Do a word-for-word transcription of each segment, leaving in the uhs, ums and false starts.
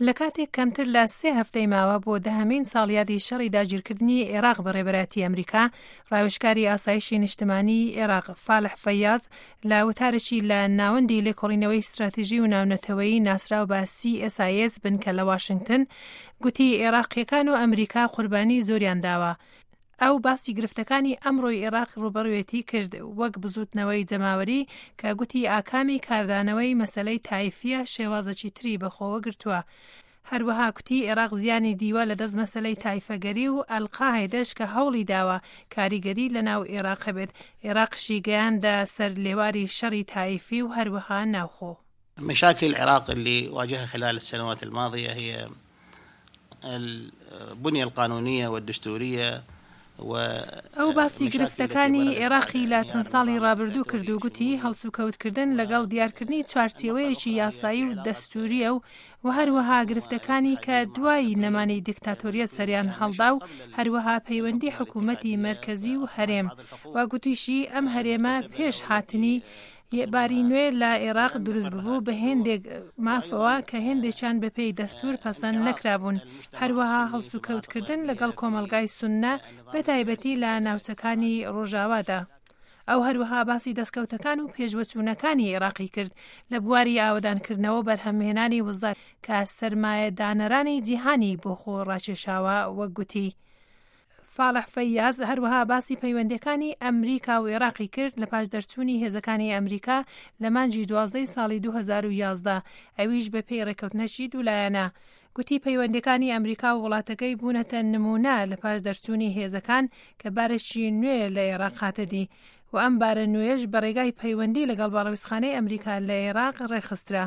لە کاتێک کەمتر لە سێ هەفتەی ماوە بۆ دەهەمین ساڵیادی شەڕی داگیرکردنی عێراق بە ڕێبەرایەتی ئەمریکا، ڕاوێژکاری ئاسایشی نیشتمانی عێراق فالح فەیاز لە وتارێکی لە ناوەندی لێکۆڵینەوەی ستراتیژی و ناونەتەوەیی ناسراو بە C S I S بنکە لە واشنگتن گوتی عێراقیەکان و ئەمریکا قوربانی زۆریان داوە. ئەو باسی گرفتەکانی ئەمڕۆی عێراق ڕوبەڕوێتی کرد وەک بزوتنەوەی جەماوەری کە گوتی ئاکامی کاردانەوەی مەسلەی تایفیە شێوازەکی تری بەخۆوە گرتووە. هەروەها کوتی عێراق زیانی دیوە لە دەست مەسلەی تایفەگەری و ئەلقاعیدەش کە هەوڵی داوە کاریگەری لەناو عێراق هەبێت، عێراقشی گەیاندە سەر لێواری شەڕی تایفی و هەروەها ناوخۆ. مشاكل العراق اللي واجهها خلال السنوات الماضية هي البنية القانونية والدستورية. ئەو باسی گرفتەکانی عێراقی لە چەند ساڵی ڕابردوو کرد و گوتی هەڵسوکەوتکردن لەگەڵ دیارکردنی چوارچێوەیەکی یاسایی و دەستوریە و و هەروەها گرفتەکانی کە دوای نەمانی دیکتاتۆریەت سەریان هەڵدا و هەروەها پەیوەندی حکوومەتی مەرکەزی و هەرێم و گوتیشی ئەم هەرێمە پێش هاتنی باری نوێ لە عێراق دروست ببوو بە هێندێک مافەوە کە هێندێکیان بەپێی دەستور پەسەند نەکرابوون، هەروەها هەڵسوکەوتکردن لەگەڵ کۆمەڵگای سوننە بە تایبەتی لە ناوچەکانی ڕۆژاوادا. ئەو هەروەها باسی دەستکەوتەکان و پێشوەچوونەکانی عێراقی کرد لە بواری ئاوەدانکردنەوە بەرهەمهێنانی وزە کە سەرمایەدانەرانی جیهانی بۆ خۆ ڕاکێشاوە وەک گوتی. فاڵح فەیاز هەروەها باسی پەیوەندیەکانی ئەمریکا و عێراقی کرد لە پاش دەرچوونی هێزەکانی ئەمریکا لە مانگی دوازدەی ساڵی دوو هەزار و یازدە، ئەویش بە پێی ڕێککەوتنەکی دوولایەنە. گوتی پەیوەندیەکانی ئەمریکا و وڵاتەکەی بوونەتە نمونە لە پاش دەرچوونی هێزەکان کە بارێکی نوێ لە عێراق هاتە دی و ئەم بارە نوێش بە ڕێگای پەیوەندی لەگەڵ باڵەویستخانەی ئەمریکا لە عێراق ڕێکخسترا.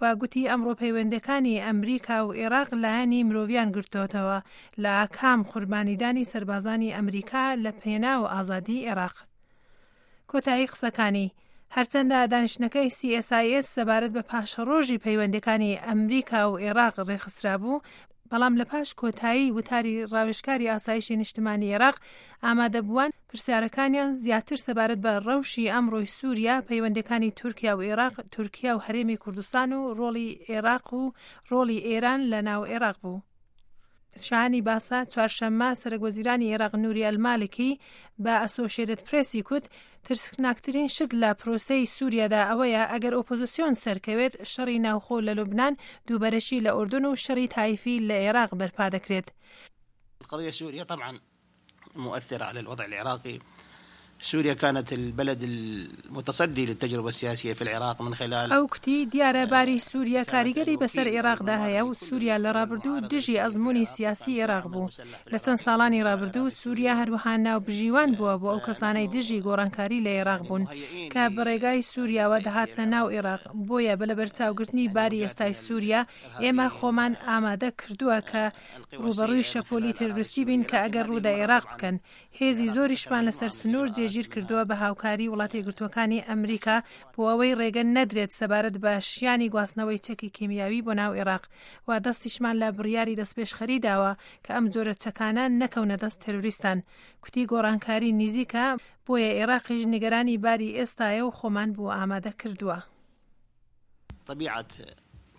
و گوتی ئەمڕۆ پەیوەندەکانی ئەمریکا و عێراق لایەنی مرۆڤیان گرتوتەوە لە ئاکام قوربانیدانی سەربازانی ئەمریکا لە پێناو ئازادی عێراق. کۆتایی قسەکانی. هەرچەندە دانیشتنەکەی C S I S سەبارەت بە پاشەڕۆژی پەیوەندەکانی ئەمریکا و عێراق ڕێکخسترا بوو، بەڵام لە پاش کۆتایی وتاری ڕاوێژکاری ئاسایشی نیشتمانی عێراق ئامادەبووان پرسیارەکانیان زیاتر سەبارەت بە ڕەوشی ئەمڕۆی سووریا، پەیوەندەکانی تورکیا و عێراق، تورکیا و هەرێمی کوردستان و ڕۆڵی عێراق و ڕۆڵی ئێران لە ناو عێراق بوو. شانی باسە چوارشەممە سەرۆک وەزیرانی عێراق نوری ئەلمالکی بە ئەسۆشیتد پرێسی کوت ترسناکترین شت لە پرۆسەی سووریادا ئەوەیە ئەگەر ئۆپۆزیسیۆن سەرکەوێت شەڕی ناوخۆ لە لوبناان، دووبەرەشی لە ئوردن و شەڕی تایفی لە عێراق بەرپا دەکرێت. القضية السورية طبعا مؤثرة على الوضع العراقي. سوريا كانت البلد المتصدي للتجربة السياسية في العراق من خلال ئەو کوتی دیارە باری سووریا کاریگەری بەسەر عێراقدا هەیە و سووریا لە ڕابردوو دژی ئەزمموی سیاسی عێراق بوو. لە چەند ساڵانی ڕابردوو سووریا هەروەها ناوبژیوان بووە بۆ ئەو کەسانەی دژی گۆڕانکاری لە عێراق بوون کە بەڕێگای سووریاوە دەهاتنە ناو عێراق. بۆیە بە لەبەرچاوگرتنی باری ئێستای سووریا ئێمە خۆمان ئامادە کردووە کە ڕوبەڕووی شەپۆلی تێرۆریستی بین کە ئەگەر ڕوودە عێراق بکەن. هێزی زۆریشمان لەسەر سنوور جێگیر کردووە بە هاوکاری وڵاتە یەکگرتووەکانی ئەمریکا بۆ ئەوەی ڕێگە نەدرێت سەبارەت بە شیانی گواستنەوەی چەکی کیمیاوی بۆ ناو عێراق و دەستیشمان لە بڕیاری دەستپێشخەری داوە کە ئەم جۆرە چەکانە نەکەونە دەست تێرۆریستان. کوتی گۆڕانکاری نزیکە، بۆیە عێراقیش نیگەرانی باری ئێستایە و خۆمان بۆ ئامادە کردووە. طبيعة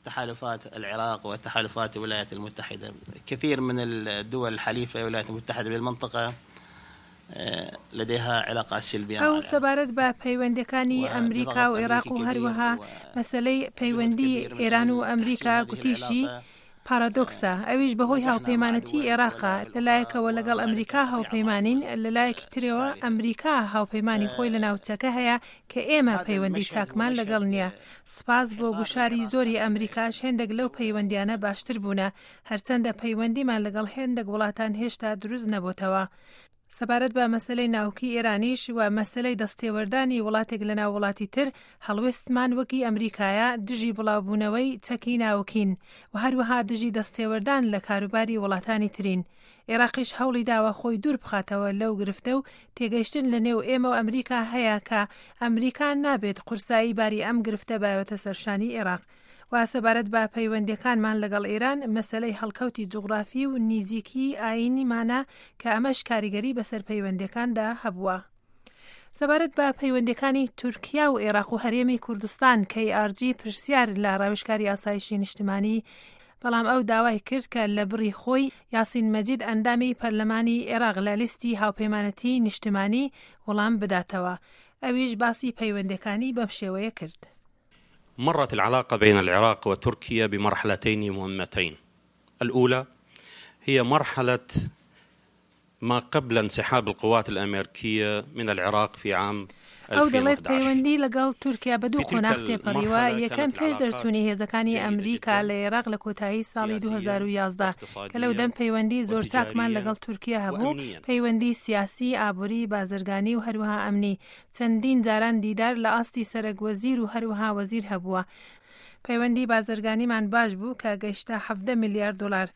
تحالفات العراق وتحالفات الولايات المتحدة، كثير من الدول الحليفة للولايات المتحدة بالمنطقة لديها علاقات سلبية. ئەو سەبارەت بە پەیوەندەکانی ئەمریکا و عێراق و هەروەها مەسلەی پەیوەندی ئێران و ئەمریکا گوتیشی پارادۆکسە، ئەویش بەهۆی هاوپەیمانەتی عێراقا لەلایەکەوە لەگەڵ ئەمریکا هاوپەیمانین، لەلایەکی ترەوە ئەمریکا هاوپەیمانی خۆی لە ناوچەکە هەیە کە ئێمە پەیوەندی چاکمان لەگەڵ نییە. سپاس بۆ گوشاری زۆری ئەمریکاش هێندێک لەو پەیوەندیانە باشتر بوونە، هەرچەندە پەیوەندیمان لەگەڵ هێندێک وڵاتان هێشتا دروست نەبووتەوە. سەبارەت بە مەسلەی ناوکی ئێرانیش و مەسلەی دەستێوەردانی وڵاتێک لە ناو وڵاتی تر، هەڵوێستمان وەکی ئەمریکایە دژی بڵاوبوونەوەی چەکی ناوکین و هەروەها دژی دەستێوەردان لە کاروباری وڵاتانی ترین. عێراقیش هەوڵی داوە خۆی دوور بخاتەوە لەو گرفتە و تێگەیشتن لە نێو ئێمە و ئەمریکا هەیە کە ئەمریکا نابێت قورسایی باری ئەم گرفتە باوێتە سەرشانی عێراق. و سەبارەت بە پەیوەندیەکانمان لەگەڵ ئێران مەسلەی هەڵکەوتی جوغرافی و نیزیکی ئاینیمانە کە ئەمەش کاریگەری بەسەر پەیوەندیەکاندا هەبووە. سەبارەت بە پەیوەندیەکانی تورکیا و عێراق و هەرێمی کوردستان K R G پرسیار لە ڕاوێژکاری ئاسایشی نیشتمانی بەڵام ئەو داوای کرد کە لە بڕی خۆی یاسین مەجید ئەندامی پەرلەمانی عێراق لە لیستی هاوپەیمانەتی نیشتمانی وەڵام بداتەوە. ئەویش باسی پەیوەندەکانی بەم شێوەیە کرد. مرت العلاقة بين العراق وتركيا بمرحلتين مهمتين. الأولى هي مرحلة ما قبل انسحاب القوات الأمريكية من العراق في عام ئەو دەڵێت پەیوەندی لەگەڵ تورکیا بە دوو قۆناغ تێپەڕیوە. یەکەم پێش دەرچوونی هێزەکانی ئەمریکا لە عێراق لە کۆتایی ساڵی دوو هەزار و یازدە کە لەو دەم پەیوەندی زۆر چاکمان لەگەڵ تورکیا هەبوو، پەیوەندی سیاسی، ئابووری، بازرگانی و هەروەها ئەمنی. چەندین جاران دیدار لە ئاستی سەرەک وەزیر و هەروەها وەزیر هەبووە. پەیوەندی بازرگانیمان باش بوو کە گەیشتە حەفدە ملیار دلار.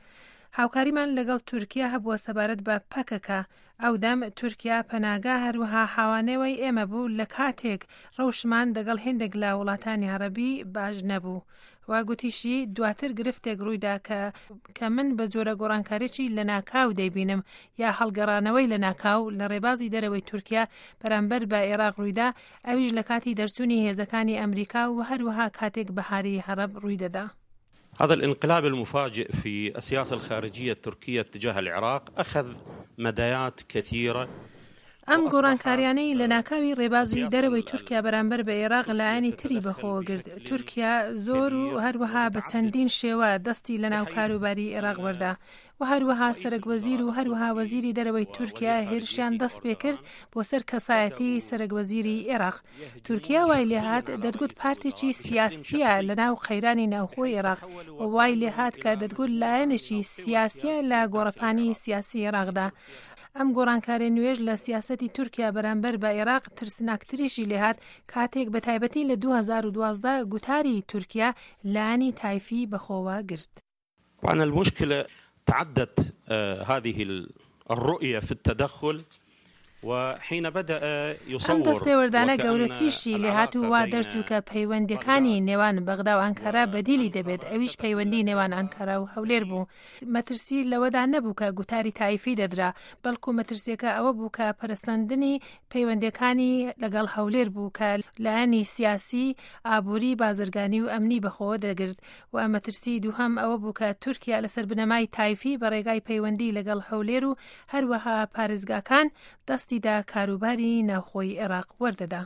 هاوکاریمان لەگەڵ تورکیا هەبووە سەبارەت بە پەکەکە. ئەو دەم تورکیا پەناگا هەروەها حاوانەوەی ئێمە بوو لە کاتێک ڕەوشمان دەگەڵ هێندێک لە وڵاتانی عەرەبی باش نەبوو. و گوتیشی دواتر گرفتێک ڕوویدا کە کە من بە جۆرە گۆڕانکاریی لە ناکاو دەیبینم یا هەڵگەڕانەوەی لە ناکاو لە ڕێبازی دەرەوەی تورکیا بەرامبەر بە عێراق ڕوویدا، ئەویش لە کاتی دەرچوونی هێزەکانی ئەمریکا و هەروەها کاتێک بەهاری عەرەب ڕوویدەدا. هذا الانقلاب المفاجئ في السياسة الخارجية التركية تجاه العراق أخذ مدايات كثيرة. ئەم گۆڕانکاریانەی لە ناکاوی ڕێبازی دەرەوەی تورکیا بەرامبەر بە عێراق لایەنی تری بەخۆوە گرت. تورکیا زۆر و هەروەها بە چەندین شێوە دەستی لە ناو کاروباری عێراق وەردا و هەروەها سەرەک وەزیر و هەروەها وەزیری دەرەوەی تورکیا هێرشیان دەست پێ کرد بۆ سەر کەسایەتی سەرەک وەزیری عێراق. تورکیا وای لێهات دەتگوت پارتێکی سیاسیە لە ناو قەیرانی ناوخۆی عێراق و وای لێهات کە دەتگوت لایەنێکی سیاسیە لە گۆڕەپانی سیاسی عێراقدا. ئەم گۆڕانکاری نوێژ لە سیاسەتی تورکیا بەرامبەر بە عێراق ترسناکتریشی لێهات کاتێک بە تایبەتی لە دوو هەزار و دوازدە گوتاری تورکیا لایەنی تایفی بەخۆوە گرت. طبعا المشكلة تعدت هذه الرؤية في التدخل وحين بدأ ئەم دەستێوەردانە گەورەتریشی لێهات و وا دەرچوو کە پەیوەندیەکانی نێوان بەغدا و ئەنکارا بەدیلی دەبێت، ئەویش پەیوەندی نێوان ئەنکارا و هەولێر بوو. مەترسی لەوەدا نەبوو کە گوتاری تایفی دەدرا، بەڵکو مەترسیەکە ئەوە بوو کە پەرسەندنی پەیوەندیەکانی لەگەڵ هەولێر بوو کە لایەنی سیاسی، ئابووری، بازرگانی و ئەمنی بەخۆوە دەگرت. و مەترسی دووهەم ئەوە بوو کە تورکیا لەسەر بنەمای تایفی بە ڕێگای پەیوەندی لەگەڵ هەولێر و هەروەها پارێزگاکان دەستی دا کاروباری ناوخۆی عێراق وەردەدا.